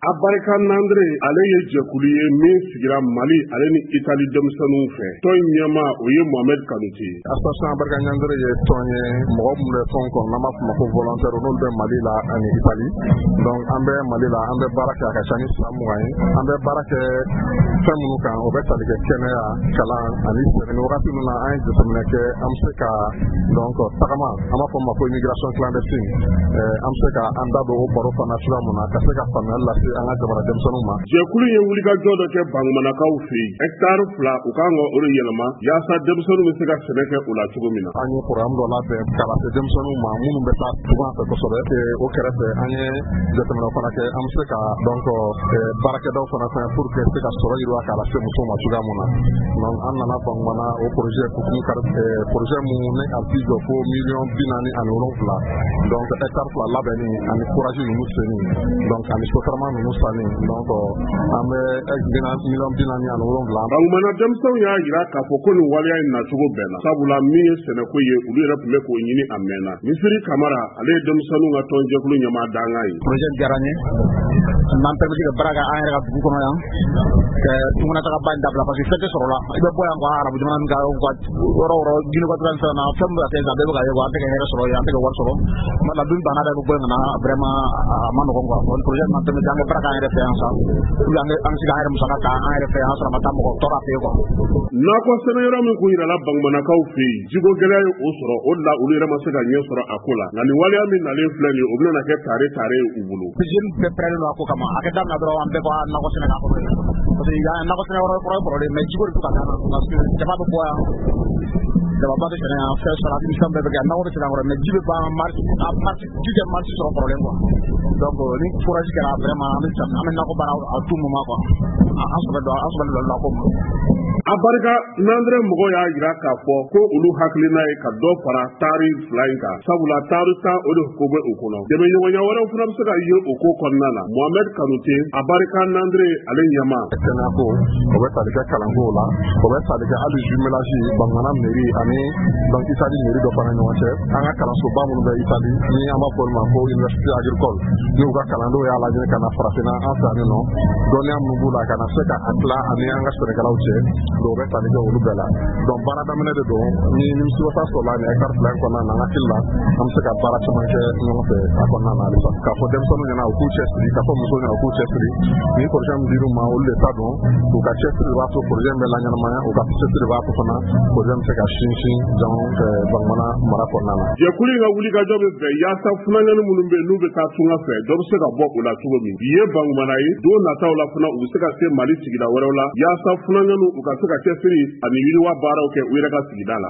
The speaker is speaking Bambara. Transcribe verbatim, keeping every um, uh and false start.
Abarika Nandre, ale ye jɛkulu ye min sigira Mali ale ni Itali denmisɛnninw fɛ. Tɔn in ɲɛmaa, o ye Mohamed Kanute ye. Association Abarika Nandre ye tɔn ye, mɔgɔ minnu bɛ tɔn kɔnɔ, n'an b'a fɔ ma ko volontaire, n'olu bɛ Mali la ani Itali. Donc an bɛ Mali la, an bɛ baara kɛ, a ka ca ni san mugan ye. An bɛ baara kɛ fɛn minnu kan, o bɛ tali kɛ kɛnɛya, kalan ani sɛnɛ. Ni wagati ninnu na, an ye jateminɛ kɛ, an bɛ se ka donc tagama, an b'a fɔ ma ko immigration clandestine, an bɛ se ka an da don o baro fana cogoya mun na, ka se ka faamuyali lase an ka jamana denmisɛnninw ma. Jɛkulu ye wulikajɔ dɔ kɛ Bangumanakaw fɛ yen. Hɛkitari fila, u kan ka o de yɛlɛma yaasa denmisɛnninw bɛ se ka sɛnɛ kɛ o la cogo min na. An ye programme dɔ labɛn ka lase denmisɛnninw ma minnu bɛ taa tunga fɛ kosɛbɛ. O kɛrɛfɛ, an ye jateminɛ fana kɛ, an bɛ se ka donc baarakɛdaw fana fɛn pour que se ka sɔrɔ yiriwa k'a lase musow ma cogoya mun na. Donc an nana Bangumana, o projet hukumu kari, projet mun ne a bi jɔ fo miliyɔn bi naani ani wolonfila. Donc hectare fila labɛnni ani forage ninnu senni, donc ani sotarama ninnu sanni, donc an bɛ miliyɔn bi naani ani wolonfila. Bangumana denmisɛnw y'a jira k'a fɔ ko nin waleya in nacogo bɛnna, sabula min ye sɛnɛko ye, olu yɛrɛ tun bɛ k'o ɲini a mɛnna. Misiri Kamara, ale ye denmisɛnninw ka tɔnjɛkulu ɲɛmaa dankan ye. Projet diyara n ye, n b'an permettre ka baara kɛ an yɛrɛ ka dugu kɔnɔ yan, ka tunganatagaba in dabila, parce que fɛn tɛ sɔrɔ la. I bɛ bɔ yan quoi, arabu jamana min kan, yɔrɔ o yɔrɔ, Guinée équatoriale ni fɛn na, fɛn min bɛ ka kɛ sisan, bɛɛ bɛ ka ye quoi, an tɛ ka hɛrɛ sɔrɔ yen, an tɛ ka wari sɔrɔ. Tuma dɔ la, dun banna, bɛ bɔ yen ka na, vraiment a ma nɔgɔn quoi. Bon, projet m'an permettre an ka baara k'an yɛrɛ fɛ yan sa, pour que an bɛ se k'an yɛrɛ musaka ta an yɛrɛ fɛ yan, sɔrɔ a ma taa mɔgɔ tɔɔrɔ a fɛ yen quoi. Nakɔ sɛnɛyɔrɔ min kun yirala Bangumanakaw fɛ yen, jiko gɛlɛya ye o sɔrɔ, o de la olu yɛrɛ ma se ka ɲɛ sɔrɔ a ko la. Nka nin waleya min nalen filɛ nin ye, o bɛna kɛ tare tare ye u bolo. Jeune bɛɛ pɛrɛnnen don a ko kama. A kɛ daminɛ dɔrɔn, an bɛɛ ko nakɔ sɛnɛ k'a kɔnɔ, parce que yan nakɔ sɛnɛ yɔrɔ kɔrɔ ye kɔrɔlen, mais jiko de bɛ ka taa, parce que jaba bɛ bɔ yan, jababa bɛ sɛnɛ yan, fɛn salade ni fɛn bɛɛ bɛ kɛ, nakɔ bɛ sɛnɛ kɔrɔ, mais ji bɛ ban mars, a mars ji tɛ mars sɔrɔ kɔrɔlen quoi. Donc ni forage kɛra, vraiment an bɛ an bɛ nakɔ baara à tout moment quoi. An sɔbɛ don, an sɔbɛ don nakɔ ma. A barika Nandrɛ mɔgɔw y'a jira k'a fɔ ko olu hakilina ye ka dɔ fara taari fila in kan, sabula taari tan, o de ko bɛ o kɔnɔ. Dɛmɛɲɔgɔnya wɛrɛw fana bɛ se ka ye o ko kɔnɔna na. Mohamed Kanute, a barika Nandrɛ ale ɲɛmaa. Kɛnɛyako, o bɛ tali kɛ kalanko la, o bɛ tali kɛ hali jumelage Bangumana mairie ani donc Italie mairie dɔ fana ɲɔgɔn cɛ. An ka kalansoba minnu bɛ Italie, ni an b'a fɔ olu ma ko université agricole, n'u ka kalandenw y'a lajɛ ka na farafinna an fɛ yan nɔ, dɔnniya minnu b'u la, ka na se ka a tila ani an ka sɛnɛkɛlaw cɛ. Donc o bɛ tali kɛ olu bɛɛ la. Donc baara daminɛ de don, ni nimisiwasa sɔrɔla nin hectare fila in kɔnɔna na, an hakili la an bɛ se ka baara caman kɛ ɲɔgɔn fɛ a kɔnɔna na halisa. K'a fɔ denmisɛnninw ɲɛna u k'u cɛsiri, k'a fɔ musow ɲɛna u k'u cɛsiri. Ni projet min dir'u ma, olu de ta don. U ka cɛsiri de b'a to projet in bɛ laɲɛnamaya, u ka cɛsiri de b'a to fana projet bɛ se ka sinsin donc Bangumana mara kɔnɔna na. Jɛkulu in ka wulikajɔ bɛ bɛn yaasa funankɛnin minnu bɛ yen, n'u bɛ taa tunga fɛ, dɔ bɛ se ka bɔ o la cogo min. Bi ye Bangumana ye, don nataw la fana, u bɛ se ka se Mali sigida wɛrɛw la, yaasa funankɛninw u ka se ka cɛsiri ani yiriwa baaraw kɛ u yɛrɛ ka sigida la.